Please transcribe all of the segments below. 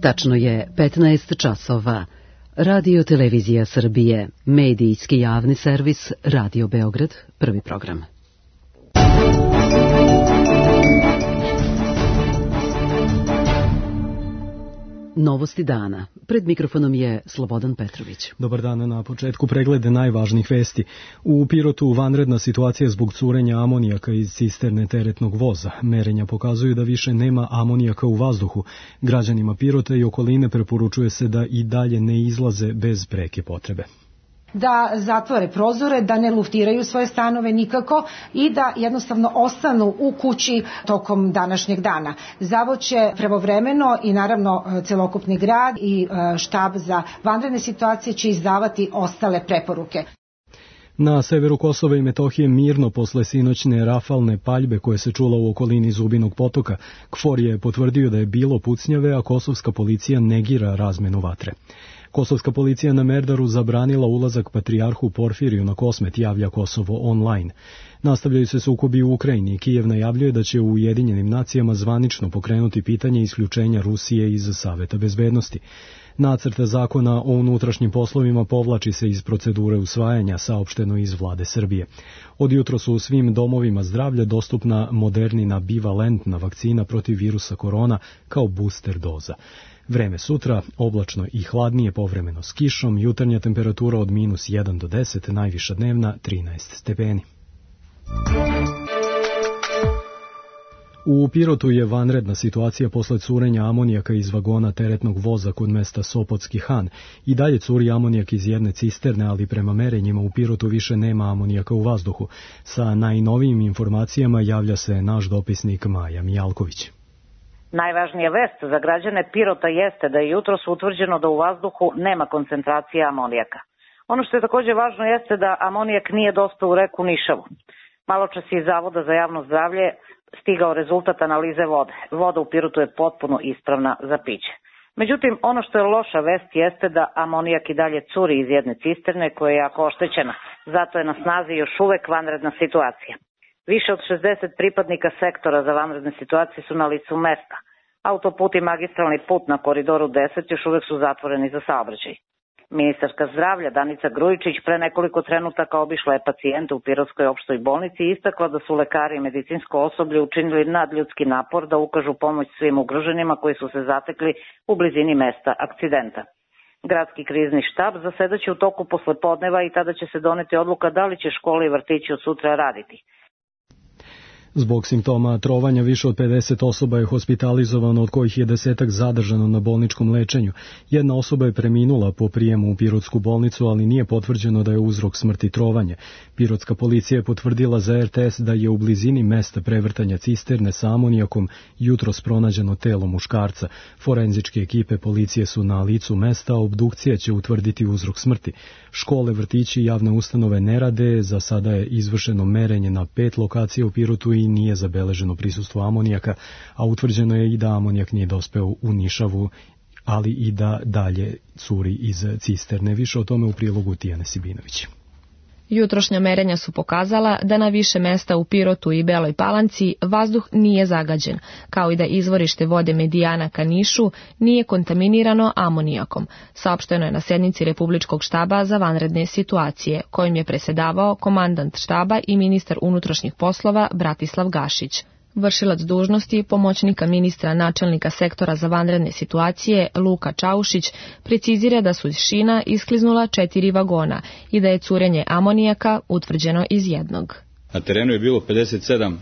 Tačno je 15 časova. Radio Televizija Srbije, medijski javni servis Radio Beograd, prvi program. Novosti dana. Pred mikrofonom je Slobodan Petrović. Dobar dan, na početku preglede najvažnijih vesti. U Pirotu vanredna situacija zbog curenja amonijaka iz cisterne teretnog voza. Merenja pokazuju da više nema amonijaka u vazduhu. Građanima Pirota i okoline preporučuje se da i dalje ne izlaze bez preke potrebe. Da zatvore prozore, da ne luftiraju svoje stanove nikako i da jednostavno ostanu u kući tokom današnjeg dana. Zavod će pravovremeno i naravno celokupni grad i štab za vanredne situacije će izdavati ostale preporuke. Na severu Kosova i Metohije mirno posle sinoćne rafalne paljbe koje se čula u okolini Zubinog potoka. KFOR je potvrdio da je bilo pucnjave, a kosovska policija negira razmenu vatre. Kosovska policija na Merdaru zabranila ulazak patrijarhu Porfiriju na Kosmet, javlja Kosovo online. Nastavljaju se sukobi u Ukrajini i Kijev najavljuje da će u Ujedinjenim nacijama zvanično pokrenuti pitanje isključenja Rusije iz Saveta bezbednosti. Nacrt zakona o unutrašnjim poslovima povlači se iz procedure usvajanja, saopšteno iz vlade Srbije. Od jutro su u svim domovima zdravlja dostupna Modernina bivalentna vakcina protiv virusa korona kao booster doza. Vreme sutra, oblačno i hladnije, povremeno s kišom, jutarnja temperatura od -1 do 10, najviša dnevna 13 stepeni. U Pirotu je vanredna situacija posle curenja amonijaka iz vagona teretnog voza kod mesta Sopotski Han. I dalje curi amonijak iz jedne cisterne, ali prema merenjima u Pirotu više nema amonijaka u vazduhu. Sa najnovijim informacijama javlja se naš dopisnik Maja Mijalković. Najvažnija vest za građane Pirota jeste da je jutros utvrđeno da u vazduhu nema koncentracije amonijaka. Ono što je također važno jeste da amonijak nije dospeo u reku Nišavu. Maločas je iz Zavoda za javno zdravlje stigao rezultat analize vode. Voda u Pirotu je potpuno ispravna za piće. Međutim, ono što je loša vest jeste da amonijak i dalje curi iz jedne cisterne koja je jako oštećena. Zato je na snazi još uvek vanredna situacija. Više od 60 pripadnika sektora za vanredne situacije su na licu mesta. Autoput i magistralni put na koridoru 10 još uvek su zatvoreni za saobraćaj. Ministarka zdravlja Danica Grujičić pre nekoliko trenutaka obišla je pacijente u Pirotskoj opštoj bolnici i istakla da su lekari i medicinsko osoblje učinili nadljudski napor da ukažu pomoć svim ugroženima koji su se zatekli u blizini mesta akcidenta. Gradski krizni štab zasedaće u toku poslepodneva i tada će se doneti odluka da li će škole i vrtići od sutra raditi. Zbog simptoma trovanja više od 50 osoba je hospitalizovano, od kojih je 10 zadržano na bolničkom lečenju. Jedna osoba je preminula po prijemu u Pirotsku bolnicu, ali nije potvrđeno da je uzrok smrti trovanje. Pirotska policija je potvrdila za RTS da je u blizini mesta prevrtanja cisterne sa amonijakom jutros pronađeno telo muškarca. Forenzičke ekipe policije su na licu mesta, a obdukcija će utvrditi uzrok smrti. Škole, vrtići i javne ustanove ne rade, za sada je izvršeno merenje na 5 lokacija u Pirotu i nije zabeleženo prisustvo amonijaka, a utvrđeno je i da amonijak nije dospeo u Nišavu, ali i da dalje curi iz cisterne. Više o tome u prilogu Tijane Sibinović. Jutrošnja merenja su pokazala da na više mesta u Pirotu i Beloj Palanci vazduh nije zagađen, kao i da izvorište vode Medijana ka Nišu nije kontaminirano amonijakom, saopšteno je na sednici Republičkog štaba za vanredne situacije, kojim je presedavao komandant štaba i ministar unutrašnjih poslova Bratislav Gašić. Vršilac dužnosti pomoćnika ministra načelnika sektora za vanredne situacije Luka Čaušić precizira da su iz šina iskliznula 4 vagona i da je curenje amonijaka utvrđeno iz jednog. Na terenu je bilo 57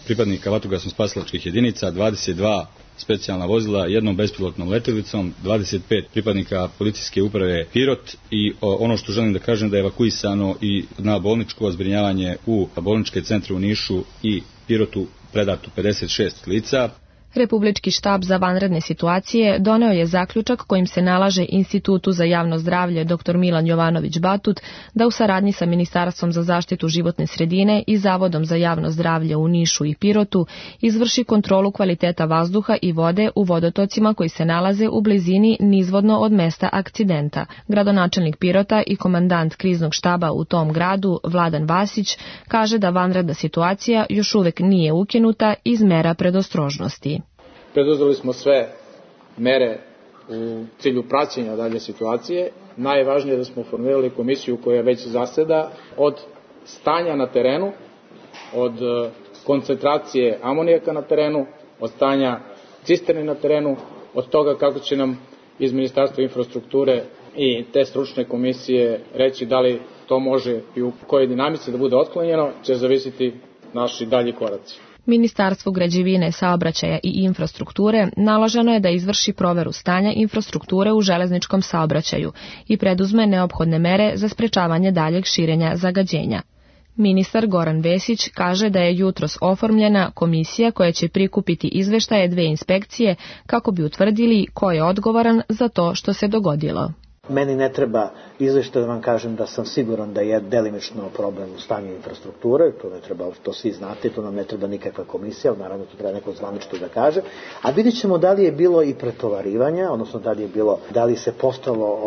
pripadnika vatrogasno-spasilačkih jedinica, 22 specijalna vozila, jednom bespilotnom letjelicom, 25 pripadnika policijske uprave Pirot i ono što želim da kažem da je evakuisano i na bolničko zbrinjavanje u bolničke centre u Nišu i Pirotu predato 56 lica. Republički štab za vanredne situacije doneo je zaključak kojim se nalaže Institutu za javno zdravlje dr. Milan Jovanović Batut da u saradnji sa Ministarstvom za zaštitu životne sredine i Zavodom za javno zdravlje u Nišu i Pirotu izvrši kontrolu kvaliteta vazduha i vode u vodotocima koji se nalaze u blizini nizvodno od mesta akcidenta. Gradonačelnik Pirota i komandant kriznog štaba u tom gradu, Vladan Vasić, kaže da vanredna situacija još uvek nije ukinuta iz mera predostrožnosti. Preduzeli smo sve mere u cilju praćenja dalje situacije. Najvažnije je da smo formirali komisiju koja već zaseda od stanja na terenu, od koncentracije amonijaka na terenu, od stanja cisterni na terenu, od toga kako će nam iz Ministarstva infrastrukture i te stručne komisije reći da li to može i u kojoj dinamici da bude otklonjeno, će zavisiti naši dalji koraci. Ministarstvu građevine, saobraćaja i infrastrukture naloženo je da izvrši proveru stanja infrastrukture u železničkom saobraćaju i preduzme neophodne mere za sprečavanje daljeg širenja zagađenja. Ministar Goran Vesić kaže da je jutros oformljena komisija koja će prikupiti izveštaje 2 inspekcije kako bi utvrdili ko je odgovoran za to što se dogodilo. Meni ne treba izveštaj da vam kažem da sam siguran da je delimično problem u stanju infrastrukture, to ne treba, to svi znate, to nam ne treba nikakva komisija, naravno to treba neko zvanično da kaže, a vidjet ćemo da li je bilo i pretovarivanja, odnosno da li se postalo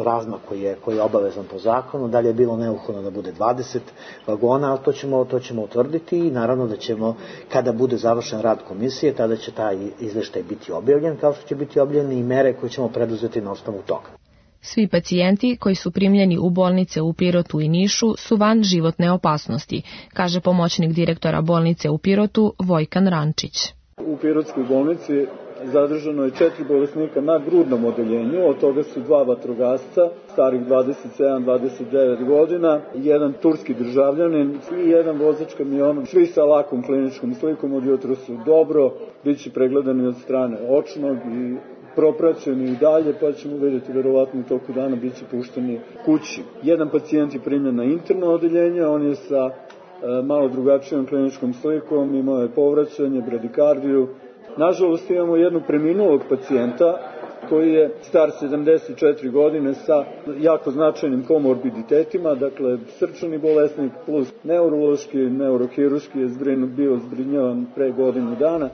razmak koji je obavezan po zakonu, da li je bilo neophodno da bude 20 vagona, ali to ćemo utvrditi i naravno da ćemo, kada bude završen rad komisije, tada će taj izveštaj biti objavljen, kao što će biti objavljene i mere koje ćemo preduzeti na osnovu toga. Svi pacijenti koji su primljeni u bolnice u Pirotu i Nišu su van životne opasnosti, kaže pomoćnik direktora bolnice u Pirotu Vojkan Rančić. U Pirotskoj bolnici zadržano je 4 bolesnika na grudnom odeljenju, od toga su 2 vatrogasca, starih 27-29 godina, jedan turski državljanin i jedan vozač kamiona, svi sa lakom kliničkom slikom, od jutra su dobro, bit će pregledani od strane očnog i propraćeni i dalje, pa ćemo vidjeti verovatno u toku dana bit će pušteni kući. Jedan pacijent je primljen na interno odeljenje, on je sa malo drugačijom kliničkom slikom, imao je povraćanje, bradikardiju. Nažalost imamo jednog preminulog pacijenta koji je star 74 godine sa jako značajnim komorbiditetima, dakle srčani bolesnik plus neurološki, neurohirurški je bio zbrinjavan pre godinu dana.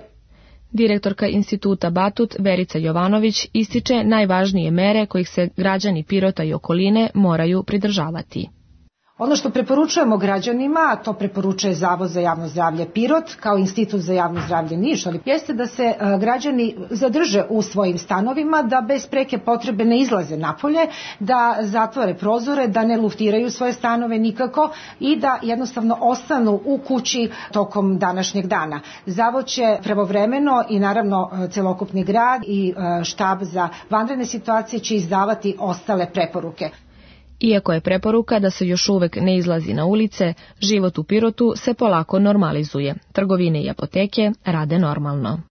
Direktorka instituta Batut Verica Jovanović ističe najvažnije mere kojih se građani Pirota i okoline moraju pridržavati. Ono što preporučujemo građanima, a to preporučuje Zavod za javno zdravlje Pirot kao Institut za javno zdravlje Niš, jeste da se građani zadrže u svojim stanovima, da bez preke potrebe ne izlaze napolje, da zatvore prozore, da ne luftiraju svoje stanove nikako i da jednostavno ostanu u kući tokom današnjeg dana. Zavod će pravovremeno i naravno celokupni grad i štab za vanredne situacije će izdavati ostale preporuke. Iako je preporuka da se još uvek ne izlazi na ulice, život u Pirotu se polako normalizuje. Trgovine i apoteke rade normalno.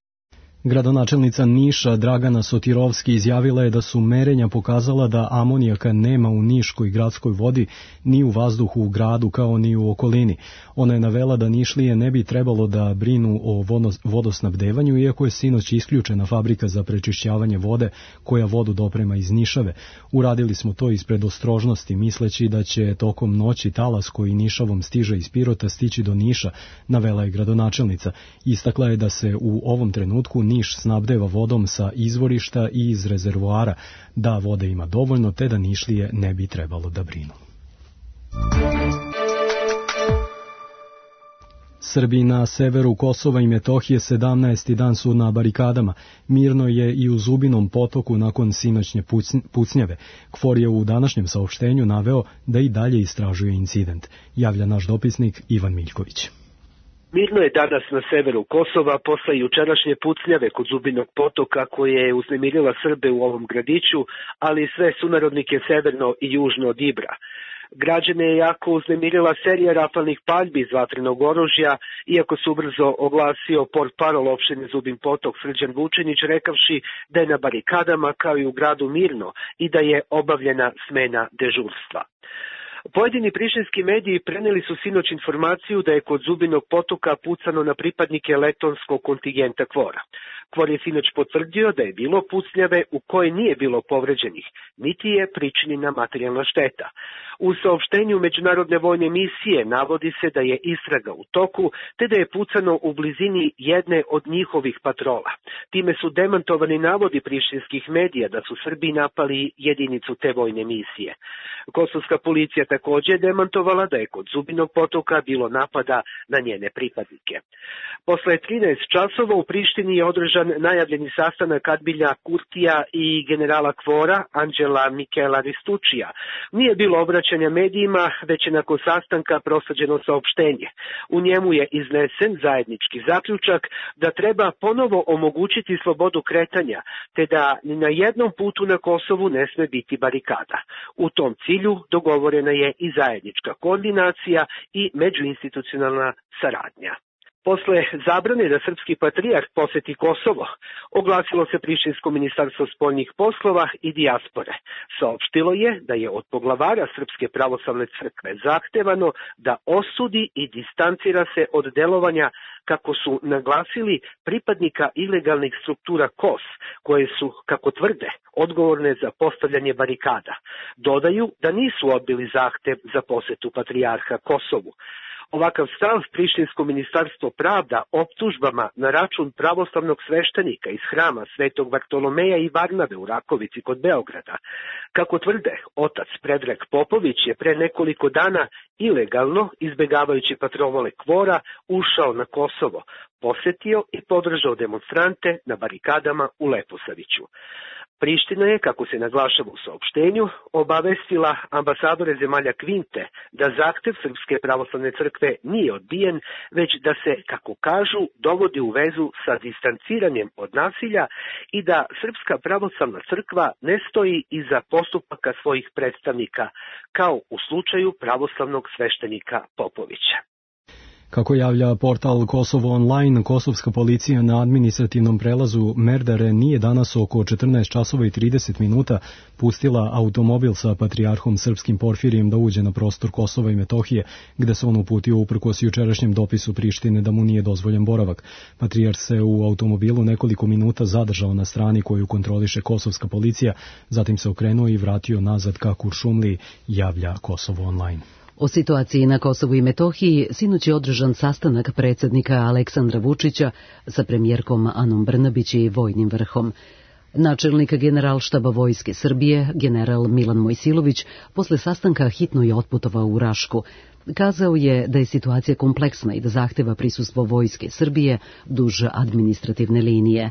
Gradonačelnica Niša Dragana Sotirovski izjavila je da su merenja pokazala da amonijaka nema u niškoj gradskoj vodi ni u vazduhu u gradu kao ni u okolini. Ona je navela da Nišlije ne bi trebalo da brinu o vodosnabdevanju, iako je sinoć isključena fabrika za prečišćavanje vode koja vodu doprema iz Nišave. Uradili smo to iz predostrožnosti, misleći da će tokom noći talas koji Nišavom stiže iz Pirota stići do Niša, navela je gradonačelnica. Istakla je da se u ovom trenutku Niš snabdeva vodom sa izvorišta i iz rezervoara, da vode ima dovoljno, te da Nišlije ne bi trebalo da brinu. Srbi na severu Kosova i Metohije 17. dan su na barikadama. Mirno je i u Zubinom potoku nakon sinoćnje pucnjave. KFOR je u današnjem saopštenju naveo da i dalje istražuje incident. Javlja naš dopisnik Ivan Miljković. Mirno je danas na severu Kosova posle jučerašnje pucnjave kod Zubinog potoka koje je uznemirila Srbe u ovom gradiću, ali i sve sunarodnike severno i južno od Ibra. Građane je jako uznemirila serija rafalnih paljbi iz vatrenog oružja, iako se ubrzo oglasio portparol opštine Zubin potok Srđan Vučinić rekavši da je na barikadama kao i u gradu mirno i da je obavljena smena dežurstva. Pojedini prištinski mediji preneli su sinoć informaciju da je kod Zubinog potoka pucano na pripadnike letonskog kontingenta KFOR-a. KFOR je sinoć potvrdio da je bilo pucnjave u kojoj nije bilo povređenih, niti je pričinjena materijalna šteta. U saopštenju Međunarodne vojne misije navodi se da je istraga u toku, te da je pucano u blizini jedne od njihovih patrola. Time su demantovani navodi prištinskih medija da su Srbi napali jedinicu te vojne misije. Kosovska policija također demantovala da je kod Zubinog potoka bilo napada na njene pripadnike. Posle 13 časova u Prištini je održan najavljeni sastanak Adbilja Kurtija i generala Kvora Anđela Mikela Ristučija. Nije bilo obraćanja medijima, već je nakon sastanka prosađeno saopštenje. U njemu je iznesen zajednički zaključak da treba ponovo omogućiti slobodu kretanja, te da ni na jednom putu na Kosovu ne sme biti barikada. U tom cilju dogovorena je i zajednička koordinacija i međuinstitucionalna saradnja. Posle zabrane da srpski patrijarh poseti Kosovo, oglasilo se Prištinsko ministarstvo spoljnih poslova i dijaspore. Saopštilo je da je od poglavara Srpske pravoslavne crkve zahtevano da osudi i distancira se od delovanja, kako su naglasili, pripadnika ilegalnih struktura KOS, koje su, kako tvrde, odgovorne za postavljanje barikada. Dodaju da nisu odbili zahtev za posetu patrijarha Kosovu. Ovakav stav Prištinsko ministarstvo pravda optužbama na račun pravoslavnog sveštenika iz hrama Svetog Bartolomeja i Varnave u Rakovici kod Beograda. Kako tvrde, otac Predrag Popović je pre nekoliko dana ilegalno, izbegavajući patrole Kvora, ušao na Kosovo, posetio i podržao demonstrante na barikadama u Leposaviću. Priština je, kako se naglašava u saopštenju, obavestila ambasadore zemalja Kvinte da zahtev Srpske pravoslavne crkve nije odbijen, već da se, kako kažu, dovodi u vezu sa distanciranjem od nasilja i da Srpska pravoslavna crkva ne stoji iza postupaka svojih predstavnika, kao u slučaju pravoslavnog sveštenika Popovića. Kako javlja portal Kosovo Online, kosovska policija na administrativnom prelazu Merdare nije danas oko 14 časova i 30 minuta pustila automobil sa patrijarhom srpskim Porfirijem da uđe na prostor Kosova i Metohije, gde se on uputio uprkos jučerašnjem dopisu Prištine da mu nije dozvoljen boravak. Patrijarh se u automobilu nekoliko minuta zadržao na strani koju kontroliše kosovska policija, zatim se okrenuo i vratio nazad ka Kuršumliji, javlja Kosovo Online. O situaciji na Kosovu i Metohiji sinoć je održan sastanak predsjednika Aleksandra Vučića sa premijerkom Anom Brnabić i vojnim vrhom. Načelnik Generalštaba Vojske Srbije, general Milan Mojsilović, posle sastanka hitno je otputovao u Rašku. Kazao je da je situacija kompleksna i da zahteva prisustvo Vojske Srbije duž administrativne linije.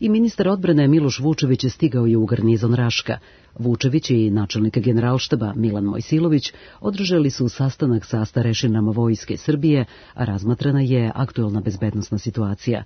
I ministar odbrane Miloš Vučević je stigao je u garnizon Raška. Vučević i načelnik Generalštaba Milan Mojsilović održali su sastanak sa starešinama Vojske Srbije, a razmatrana je aktuelna bezbednosna situacija.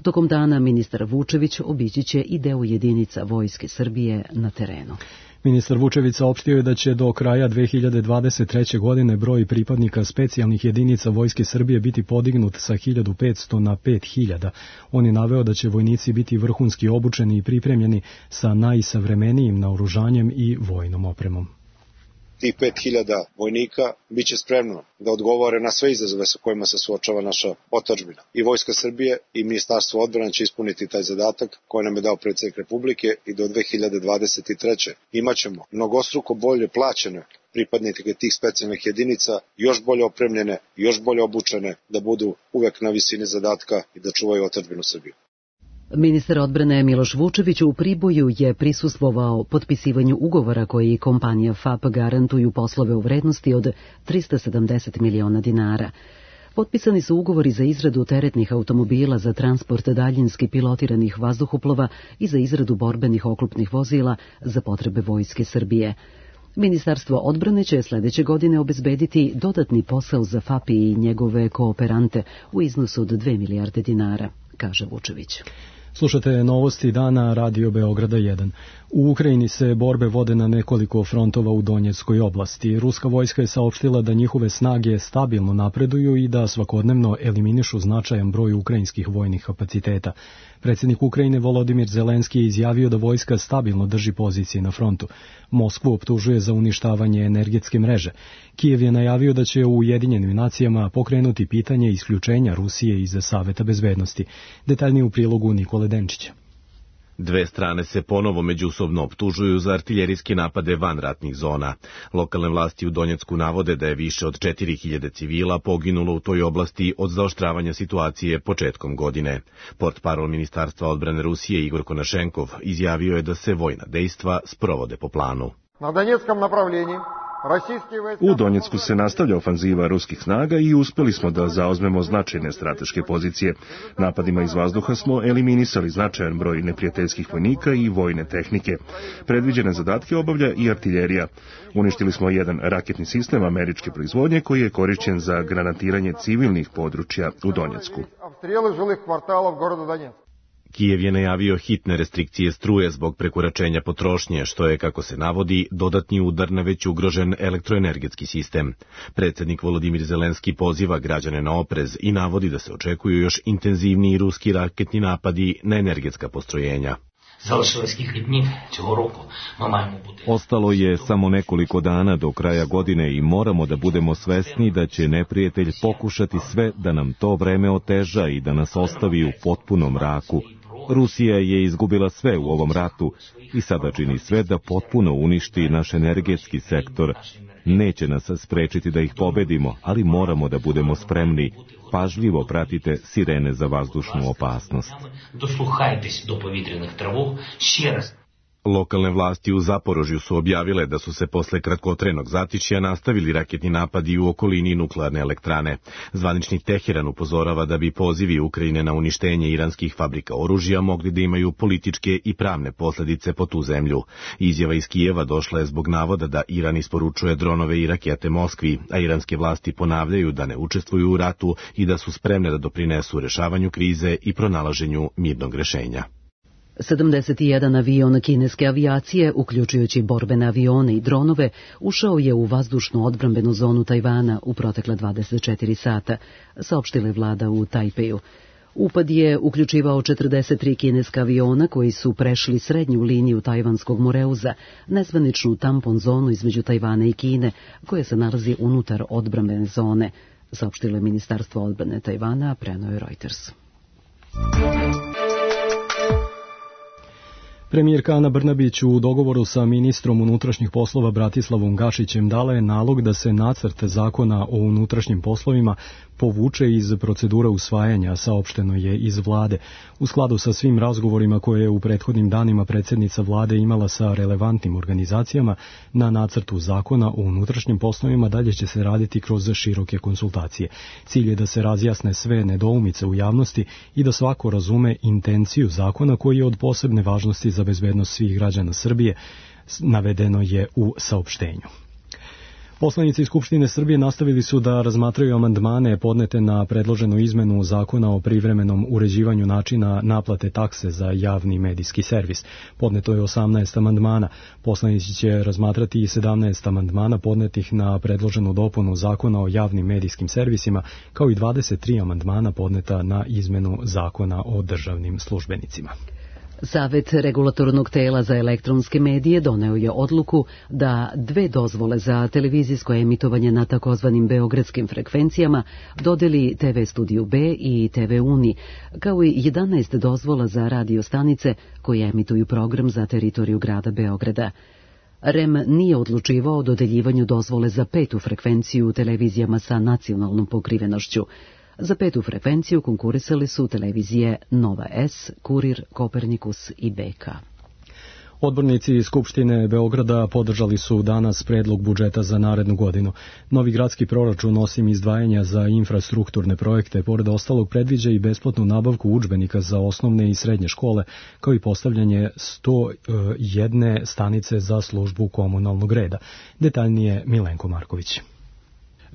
Tokom dana ministar Vučević obići će i deo jedinica Vojske Srbije na terenu. Ministar Vučević saopštio je da će do kraja 2023. godine broj pripadnika specijalnih jedinica Vojske Srbije biti podignut sa 1500 na 5000. On je naveo da će vojnici biti vrhunski obučeni i pripremljeni sa najsavremenijim naoružanjem i vojnom opremom. Tih 5000 vojnika biće spremno da odgovore na sve izazove sa kojima se suočava naša otadžbina. I Vojska Srbije i Ministarstvo odbrane će ispuniti taj zadatak koji nam je dao predsjednik Republike i do 2023. Imaćemo mnogostruko bolje plaćene pripadnike tih specijalnih jedinica, još bolje opremljene, još bolje obučene, da budu uvek na visini zadatka i da čuvaju otadžbinu Srbiju. Ministar odbrane Miloš Vučević u Priboju je prisustvovao potpisivanju ugovora koji kompanija FAP garantuju poslove u vrednosti od 370 miliona dinara. Potpisani su ugovori za izradu teretnih automobila za transport daljinski pilotiranih vazduhoplova i za izradu borbenih oklopnih vozila za potrebe Vojske Srbije. Ministarstvo odbrane će sledeće godine obezbediti dodatni posao za FAP i njegove kooperante u iznosu od 2 milijarde dinara, kaže Vučević. Slušate novosti dana Radio Beograda 1. U Ukrajini se borbe vode na nekoliko frontova u Donjeckoj oblasti. Ruska vojska je saopštila da njihove snage stabilno napreduju i da svakodnevno eliminišu značajan broj ukrajinskih vojnih kapaciteta. Predsjednik Ukrajine Volodimir Zelenski je izjavio da vojska stabilno drži pozicije na frontu. Moskvu optužuje za uništavanje energetske mreže. Kijev je najavio da će u Ujedinjenim nacijama pokrenuti pitanje isključenja Rusije iz Saveta bezbednosti. Detaljnije u prilogu Nikole Denčića. Dve strane se ponovo međusobno optužuju za artiljerijske napade van ratnih zona. Lokalne vlasti u Donjecku navode da je više od 4000 civila poginulo u toj oblasti od zaoštravanja situacije početkom godine. Portparol Ministarstva odbrane Rusije Igor Konašenkov izjavio je da se vojna dejstva sprovode po planu. Na Donjeckom направлении U Donjecku se nastavlja ofanziva ruskih snaga i uspeli smo da zauzmemo značajne strateške pozicije. Napadima iz vazduha smo eliminisali značajan broj neprijateljskih vojnika i vojne tehnike. Predviđene zadatke obavlja i artiljerija. Uništili smo jedan raketni sistem američke proizvodnje koji je korišćen za granatiranje civilnih područja u Donjecku. Kijev je najavio hitne restrikcije struje zbog prekoračenja potrošnje, što je, kako se navodi, dodatni udar na već ugrožen elektroenergetski sistem. Predsjednik Volodimir Zelenski poziva građane na oprez i navodi da se očekuju još intenzivniji ruski raketni napadi na energetska postrojenja. Ostalo je samo nekoliko dana do kraja godine i moramo da budemo svesni da će neprijatelj pokušati sve da nam to vreme oteža i da nas ostavi u potpunom mraku. Rusija je izgubila sve u ovom ratu i sada čini sve da potpuno uništi naš energetski sektor. Neće nas sprečiti da ih pobedimo, ali moramo da budemo spremni. Pažljivo pratite sirene za vazdušnu opasnost. Lokalne vlasti u Zaporožju su objavile da su se posle kratkotrenog zatišja nastavili raketni napadi u okolini nuklearne elektrane. Zvaničnik Teheran upozorava da bi pozivi Ukrajine na uništenje iranskih fabrika oružja mogli da imaju političke i pravne posljedice po tu zemlju. Izjava iz Kijeva došla je zbog navoda da Iran isporučuje dronove i rakete Moskvi, a iranske vlasti ponavljaju da ne učestvuju u ratu i da su spremne da doprinesu rešavanju krize i pronalaženju mirnog rešenja. 71 avion kineske avijacije, uključujući borbene avione i dronove, ušao je u vazdušnu odbrambenu zonu Tajvana u protekle 24 sata, saopštila je vlada u Tajpeju. Upad je uključivao 43 kineska aviona koji su prešli srednju liniju tajvanskog Moreuza, nezvaničnu tampon zonu između Tajvana i Kine, koja se nalazi unutar odbrambene zone, saopštilo je Ministarstvo odbrane Tajvana, a preneo je Reuters. Premijerka Ana Brnabić u dogovoru sa ministrom unutrašnjih poslova Bratislavom Gašićem dala je nalog da se nacrt zakona o unutrašnjim poslovima povuče iz procedure usvajanja, saopšteno je iz vlade. U skladu sa svim razgovorima koje je u prethodnim danima predsjednica vlade imala sa relevantnim organizacijama, na nacrtu zakona o unutrašnjim poslovima dalje će se raditi kroz široke konsultacije. Cilj je da se razjasne sve nedoumice u javnosti i da svako razume intenciju zakona koji je od posebne važnosti za bezbednost svih građana Srbije, navedeno je u saopštenju. Poslanici Skupštine Srbije nastavili su da razmatraju amandmane podnete na predloženu izmenu zakona o privremenom uređivanju načina naplate takse za javni medijski servis. Podneto je 18 amandmana. Poslanici će razmatrati i 17 amandmana podnetih na predloženu dopunu zakona o javnim medijskim servisima, kao i 23 amandmana podneta na izmenu zakona o državnim službenicima. Savet regulatornog tela za elektronske medije doneo je odluku da 2 dozvole za televizijsko emitovanje na takozvanim beogradskim frekvencijama dodeli TV Studiju B i TV Uni, kao i 11 dozvola za radio stanice koje emituju program za teritoriju grada Beograda. REM nije odlučivao o dodeljivanju dozvole za 5. frekvenciju u televizijama sa nacionalnom pokrivenošću. Za 5. frekvenciju konkurisali su televizije Nova S, Kurir, Kopernikus i BK. Odbornici Skupštine Beograda podržali su danas predlog budžeta za narednu godinu. Novi gradski proračun, osim izdvajanja za infrastrukturne projekte, pored ostalog predviđa i besplatnu nabavku udžbenika za osnovne i srednje škole, kao i postavljanje 101 stanice za službu komunalnog reda. Detaljnije Milenko Marković.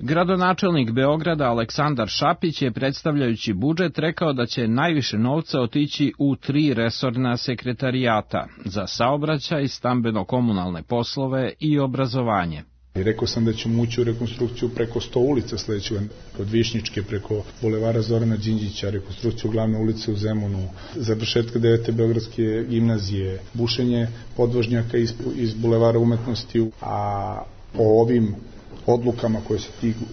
Gradonačelnik Beograda Aleksandar Šapić je, predstavljajući budžet, rekao da će najviše novca otići u 3 resorna sekretarijata za saobraćaj, stambeno-komunalne poslove i obrazovanje. Rekao sam da ćemo ući u rekonstrukciju preko 100 ulica sledećeg, od Višnjičke preko Bulevara Zorana Đinđića, rekonstrukciju glavne ulice u Zemunu, završetka 9. Beogradske gimnazije, bušenje podvožnjaka iz Bulevara umetnosti, a po ovim odlukama koje se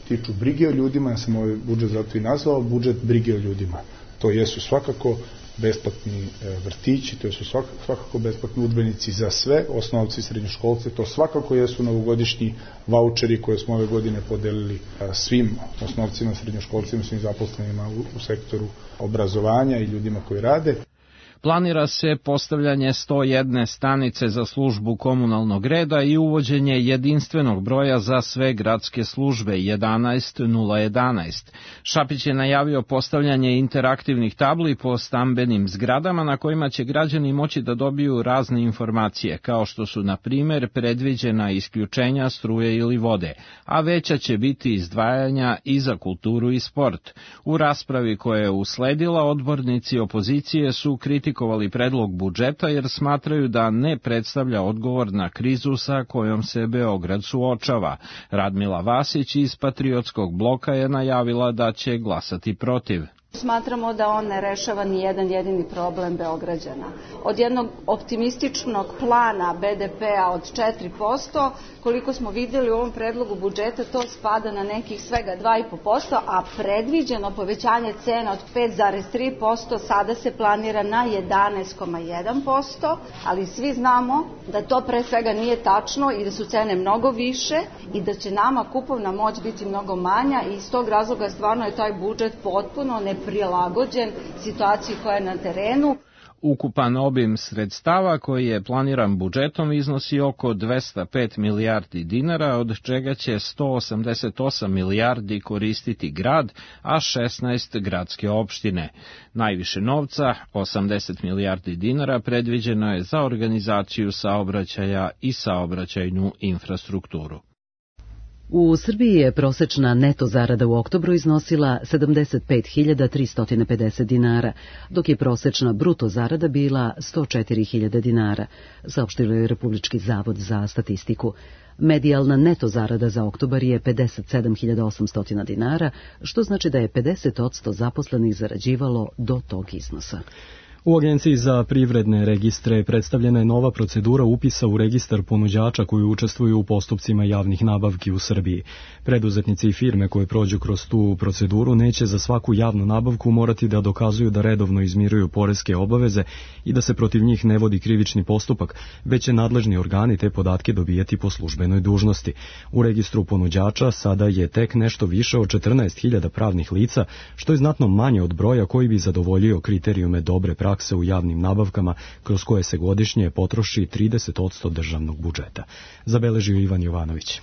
tiču brige o ljudima, ja sam ovaj budžet zato i nazvao budžet brige o ljudima. To jesu svakako besplatni vrtići, to su svakako besplatni udžbenici za sve osnovce i srednjoškolce, to svakako jesu novogodišnji vaučeri koje smo ove godine podelili svim osnovcima, srednjoškolcima, svim zaposlenima u sektoru obrazovanja i ljudima koji rade. Planira se postavljanje 101 stanice za službu komunalnog reda i uvođenje jedinstvenog broja za sve gradske službe 11011. Šapić je najavio postavljanje interaktivnih tabli po stambenim zgradama na kojima će građani moći da dobiju razne informacije, kao što su, na primer, predviđena isključenja struje ili vode, a veća će biti izdvajanja i za kulturu i sport. U raspravi koja je usledila, odbornici opozicije su kritikovali predlog budžeta jer smatraju da ne predstavlja odgovor na krizu sa kojom se Beograd suočava. Radmila Vasić iz Patriotskog bloka je najavila da će glasati protiv. Smatramo da on ne rešava ni jedan jedini problem Beograđana. Od jednog optimističnog plana BDP-a od 4%, koliko smo vidjeli u ovom predlogu budžeta, to spada na nekih svega 2,5%, a predviđeno povećanje cena od 5,3% sada se planira na 11,1%, ali svi znamo da to pre svega nije tačno i da su cene mnogo više i da će nama kupovna moć biti mnogo manja i iz tog razloga stvarno je taj budžet potpuno neprilagođen situaciji koja je na terenu. Ukupan obim sredstava koji je planiran budžetom iznosi oko 205 milijardi dinara, od čega će 188 milijardi koristiti grad, a 16 gradske opštine. Najviše novca, 80 milijardi dinara, predviđeno je za organizaciju saobraćaja i saobraćajnu infrastrukturu. U Srbiji je prosečna neto zarada u oktobru iznosila 75.350 dinara, dok je prosečna bruto zarada bila 104.000 dinara, saopštilo je Republički zavod za statistiku. Medijalna neto zarada za oktobar je 57.800 dinara, što znači da je 50% zaposlenih zarađivalo do tog iznosa. U Agenciji za privredne registre predstavljena je nova procedura upisa u registar ponuđača koji učestvuju u postupcima javnih nabavki u Srbiji. Preduzetnici i firme koje prođu kroz tu proceduru neće za svaku javnu nabavku morati da dokazuju da redovno izmiruju poreske obaveze i da se protiv njih ne vodi krivični postupak, već će nadležni organi te podatke dobijati po službenoj dužnosti. U registru ponuđača sada je tek nešto više od 14.000 pravnih lica, što je znatno manje od broja koji bi zadovoljio kriterijume dobre prakse u javnim nabavkama, kroz koje se godišnje potroši 30% državnog budžeta. Zabeležio Ivan Jovanović.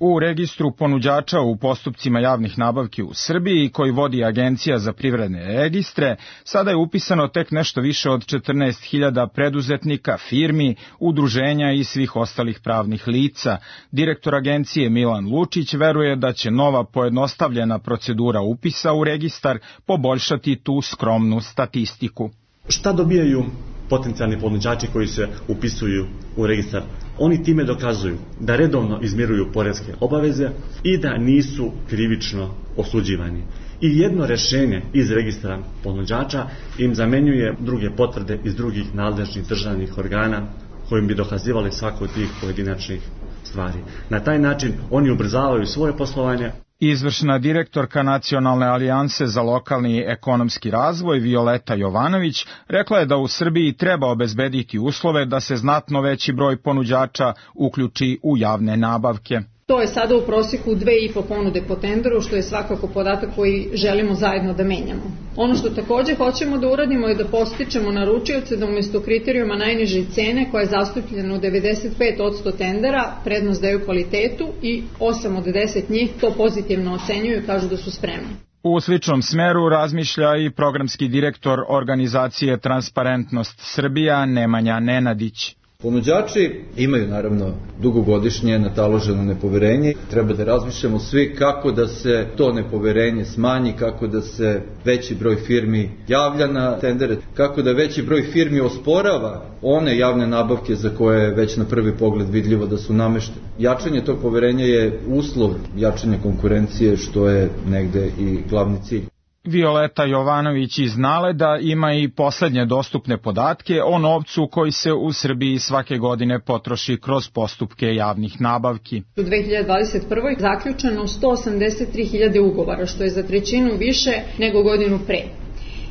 U registru ponuđača u postupcima javnih nabavki u Srbiji, koji vodi Agencija za privredne registre, sada je upisano tek nešto više od 14.000 preduzetnika, firmi, udruženja i svih ostalih pravnih lica. Direktor agencije Milan Lučić veruje da će nova pojednostavljena procedura upisa u registar poboljšati tu skromnu statistiku. Šta dobijaju potencijalni ponuđači koji se upisuju u registar? Oni time dokazuju da redovno izmiruju poreske obaveze i da nisu krivično osuđivani. I jedno rešenje iz registra ponuđača im zamenjuje druge potvrde iz drugih nadležnih državnih organa kojim bi dokazivali svaku od tih pojedinačnih stvari. Na taj način oni ubrzavaju svoje poslovanje. Izvršna direktorka Nacionalne alijanse za lokalni ekonomski razvoj Violeta Jovanović rekla je da u Srbiji treba obezbediti uslove da se znatno veći broj ponuđača uključi u javne nabavke. To je sada u prosjeku 2,5 ponude po tenderu, što je svakako podatak koji želimo zajedno da menjamo. Ono što također hoćemo da uradimo je da podstičemo naručioce da umjesto kriterijuma najniže cene, koja je zastupljena u 95% tendera, prednost daju kvalitetu i 8 od 10 njih to pozitivno ocenjuju i kažu da su spremni. U sličnom smeru razmišlja i programski direktor organizacije Transparentnost Srbija Nemanja Nenadić. Ponuđači imaju naravno dugogodišnje nataloženo nepoverenje. Treba da razmišljamo svi kako da se to nepoverenje smanji, kako da se veći broj firmi javlja na tendere, kako da veći broj firmi osporava one javne nabavke za koje je već na prvi pogled vidljivo da su nameštene. Jačanje tog poverenja je uslov jačanja konkurencije, što je negde i glavni cilj. Violeta Jovanović iz NALED-a ima i poslednje dostupne podatke o novcu koji se u Srbiji svake godine potroši kroz postupke javnih nabavki. U 2021. zaključeno 183.000 ugovora, što je za trećinu više nego godinu pre.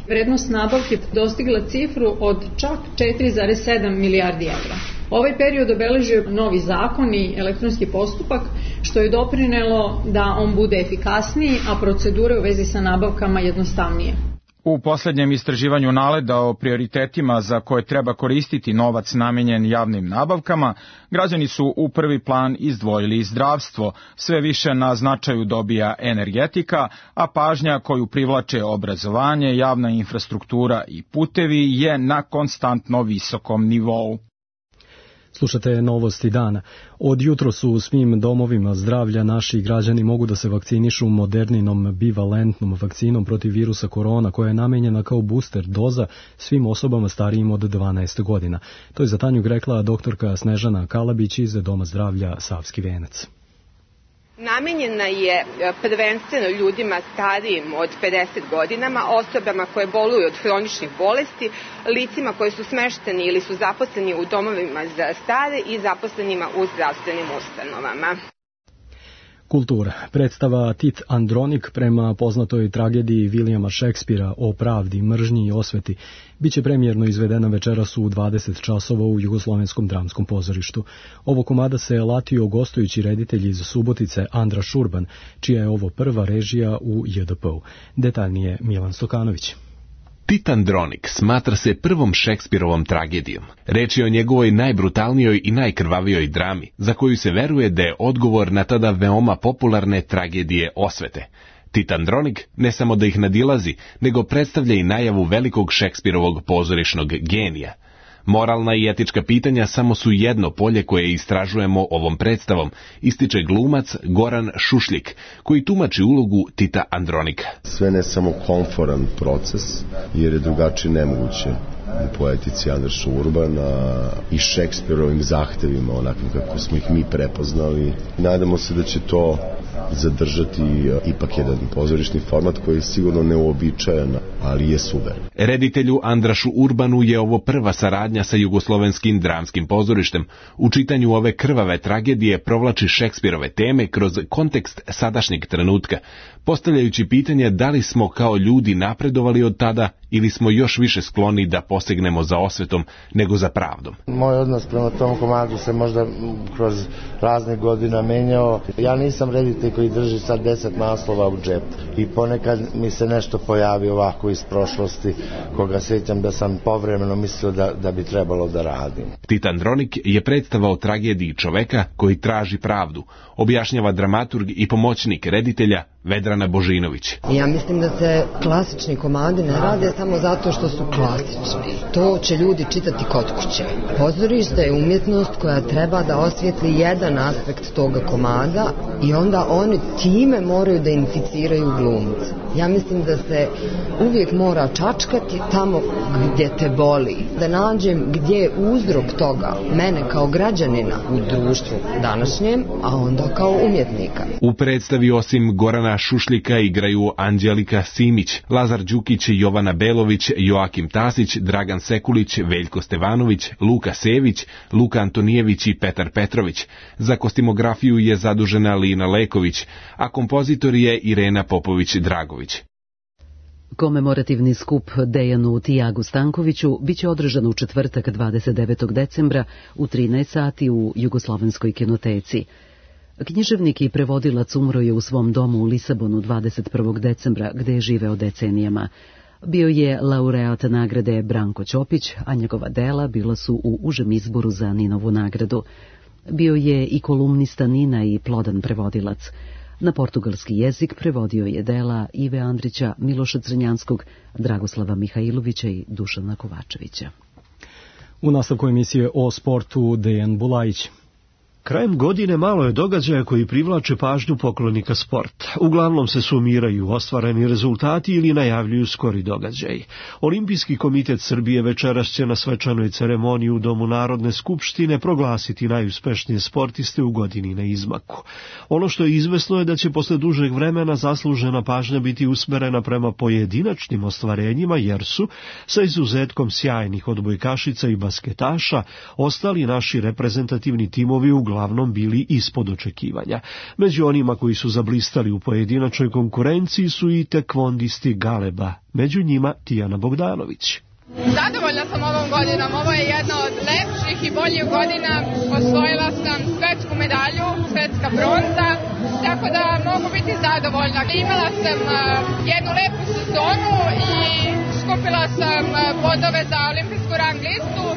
Vrednost nabavke dostigla cifru od čak 4,7 milijardi evra. Ovaj period obeležio novi zakon i elektronski postupak, što je doprinelo da on bude efikasniji, a procedure u vezi sa nabavkama jednostavnije. U posljednjem istraživanju NALED-a o prioritetima za koje treba koristiti novac namenjen javnim nabavkama, građani su u prvi plan izdvojili zdravstvo, sve više na značaju dobija energetika, a pažnja koju privlače obrazovanje, javna infrastruktura i putevi je na konstantno visokom nivou. Slušate novosti dana. Od jutro su u svim domovima zdravlja naši građani mogu da se vakcinišu moderninom bivalentnom vakcinom protiv virusa korona koja je namenjena kao booster doza svim osobama starijim od 12 godina. To je za Tanjug rekla doktorka Snežana Kalabić iz Doma zdravlja Savski Venac. Namenjena je prvenstveno ljudima starijim od 50 godinama, osobama koje boluju od hroničnih bolesti, licima koji su smešteni ili su zaposleni u domovima za stare i zaposlenima u zdravstvenim ustanovama. Kultura. Predstava Tit Andronik prema poznatoj tragediji Vilijama Šekspira o pravdi, mržnji i osveti biće premijerno izvedena večeras u 20 časova u Jugoslovenskom dramskom pozorištu. Ovo komada se latio gostujući reditelj iz Subotice Andra Šurban, čija je ovo prva režija u JDP-u. Detaljnije Milan Stokanović. Tit Andronik smatra se prvom Šekspirovom tragedijom. Reč je o njegovoj najbrutalnijoj i najkrvavijoj drami, za koju se veruje da je odgovor na tada veoma popularne tragedije osvete. Tit Andronik ne samo da ih nadilazi, nego predstavlja i najavu velikog Šekspirovog pozorišnog genija. Moralna i etička pitanja samo su jedno polje koje istražujemo ovom predstavom, ističe glumac Goran Šušljik, koji tumači ulogu Tita Andronika. Sve ne samo komforan proces, jer je drugačije nemoguće u poetici Andraša Urbana i Šekspirovim zahtevima, onakvim kako smo ih mi prepoznali. Nadamo se da će to zadržati ipak jedan pozorišni format koji je sigurno neuobičajan, ali je super. Reditelju Andrašu Urbanu je ovo prva saradnja sa Jugoslovenskim dramskim pozorištem. U čitanju ove krvave tragedije provlači Šekspirove teme kroz kontekst sadašnjeg trenutka, postavljajući pitanje da li smo kao ljudi napredovali od tada ili smo još više skloni da posegnemo za osvetom nego za pravdom. Moj odnos prema tom komadu se možda kroz razne godina menjao. Ja nisam reditelj koji drži sad 10 naslova u džepu i ponekad mi se nešto pojavi ovako iz prošlosti koga sjećam da sam povremeno mislio da bi trebalo da radim. Tit Andronik je predstava o tragediji čoveka koji traži pravdu, objašnjava dramaturg i pomoćnik reditelja Vedrana Božinović. Ja mislim da se klasični komadi ne rade samo zato što su klasični. To će ljudi čitati kod kuće. Pozorište je umjetnost koja treba da osvijetli jedan aspekt toga komada i onda oni time moraju da inficiraju glumce. Ja mislim da se uvijek mora čačkati tamo gdje te boli. Da nađem gdje je uzrok toga, mene kao građanina u društvu današnjem, a onda kao umjetnika. U predstavi osim Gorana Šušljika igraju Anđelika Simić, Lazar Đukić, Jovana Belović, Joakim Tasić, Dragan Sekulić, Veljko Stevanović, Luka Sević, Luka Antonijević i Petar Petrović. Za kostimografiju je zadužena Lina Leković, a kompozitor je Irena Popović-Dragović. Komemorativni skup Dejanu Tijagu Stankoviću biće održan u četvrtak 29. decembra u 13 sati u Jugoslovenskoj kinoteci. Književnik i prevodilac umro je u svom domu u Lisabonu 21. decembra, gde je živeo decenijama. Bio je laureat nagrade Branko Ćopić, a njegova dela bila su u užem izboru za Ninovu nagradu. Bio je i kolumnista Nina i plodan prevodilac. Na portugalski jezik prevodio je dela Ive Andrića, Miloša Crnjanskog, Dragoslava Mihajlovića i Dušana Kovačevića. U nastavku emisije o sportu Dejan Bulajić. Krajem godine malo je događaja koji privlače pažnju poklonika sporta. Uglavnom se sumiraju ostvareni rezultati ili najavljuju skori događaji. Olimpijski komitet Srbije večeras će na svečanoj ceremoniji u Domu Narodne skupštine proglasiti najuspešnije sportiste u godini na izmaku. Ono što je izvesno je da će posle dužeg vremena zaslužena pažnja biti usmerena prema pojedinačnim ostvarenjima, jer su, sa izuzetkom sjajnih odbojkašica i basketaša, ostali naši reprezentativni timovi uglavnom bili ispod očekivanja. Među onima koji su zablistali u pojedinačnoj konkurenciji su i tekvondisti Galeba, među njima Tijana Bogdanović. Zadovoljna sam ovom godinom, ovo je jedna od lepših i boljih godina, osvojila sam svetsku medalju, svetska bronza. tako da mogu biti zadovoljna. Imala sam jednu lepu sezonu i skupila sam bodove za olimpijsku rang listu.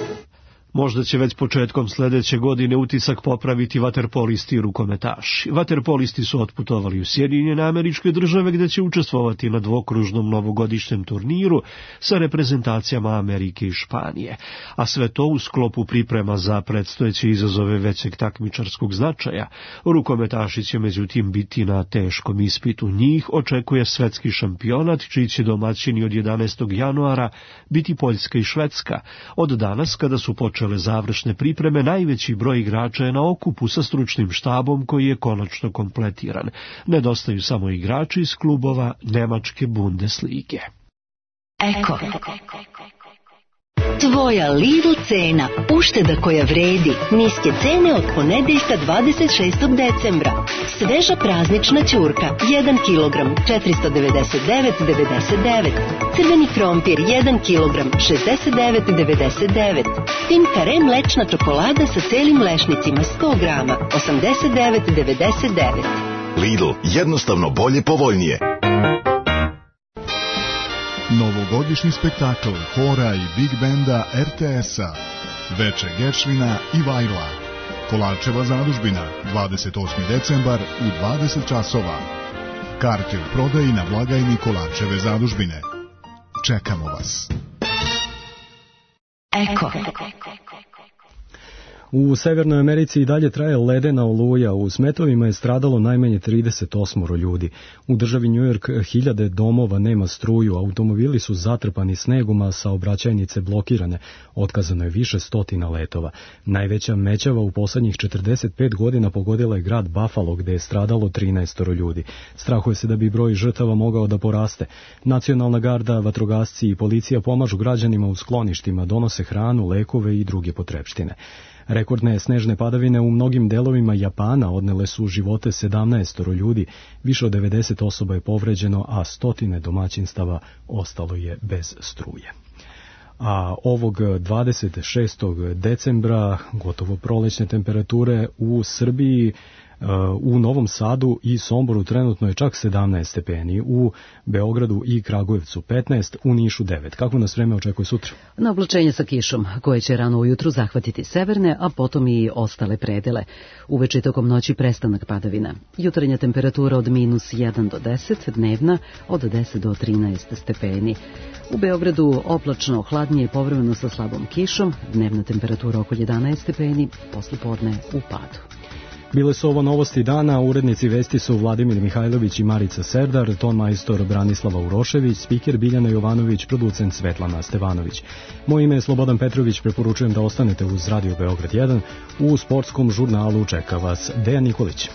Možda će već početkom sledeće godine utisak popraviti vaterpolisti i rukometaši. Vaterpolisti su otputovali u Sjedinjene Američke Države gde će učestvovati na dvokružnom novogodišnjem turniru sa reprezentacijama Amerike i Španije. A sve to u sklopu priprema za predstojeće izazove većeg takmičarskog značaja. Rukometaši će međutim biti na teškom ispitu. Njih očekuje svetski šampionat, čiji će domaćini od 11. januara biti Poljska i Švedska. Od danas, kada su počeli završne pripreme, najveći broj igrača je na okupu sa stručnim štabom koji je konačno kompletiran. Nedostaju samo igrači iz klubova Nemačke Bundeslige. Eko. Tvoja Lidl cena, ušteda koja vredi, niske cene od ponedeljka 26. decembra. Sveža praznična ćurka, 1 kg, 499,99. Crveni krompir, 1 kg, 69,99. Tim Kare mlečna čokolada sa celim lešnicima, 100 grama, 89,99. Lidl, jednostavno bolje, povoljnije. Novogodišnji spektakl hora i big benda RTS-a, Veče Gečvina i Vajla, Kolarčeva zadužbina, 28. decembar u 20 časova. Karte u prodaji na blagajni Kolarčeve zadužbine. Čekamo vas. Eko. U Severnoj Americi i dalje traje ledena oluja. U smetovima je stradalo najmanje 38 ljudi. U državi New York hiljade domova nema struju, automobili su zatrpani snegom, a saobraćajnice blokirane. Otkazano je više stotina letova. Najveća mećava u poslednjih 45 godina pogodila je grad Buffalo, gde je stradalo 13 ljudi. Strahuje se da bi broj žrtava mogao da poraste. Nacionalna garda, vatrogasci i policija pomažu građanima u skloništima, donose hranu, lekove i druge potrepštine. Rekordne snežne padavine u mnogim delovima Japana odnele su živote 17 ljudi, više od 90 osoba je povređeno, a stotine domaćinstava ostalo je bez struje. A ovog 26. decembra gotovo prolećne temperature u Srbiji, u Novom Sadu i Somboru trenutno je čak 17 stepeni, u Beogradu i Kragujevcu 15, u Nišu 9. Kako nas vreme očekuje sutra? Na oblačenje sa kišom, koje će rano ujutru zahvatiti severne, a potom i ostale predele. Uveče tokom noći prestanak padavina. Jutarnja temperatura od -1 do 10, dnevna od 10 do 13 stepeni. U Beogradu oblačno, hladnije, povremeno sa slabom kišom, dnevna temperatura oko 11 stepeni, poslijepodne u padu. Bile su ovo novosti dana, urednici vesti su Vladimir Mihajlović i Marica Serdar, ton majstor Branislava Urošević, spiker Biljana Jovanović, producent Svetlana Stevanović. Moje ime je Slobodan Petrović, preporučujem da ostanete uz Radio Beograd 1. U sportskom žurnalu čeka vas Dejan Nikolić.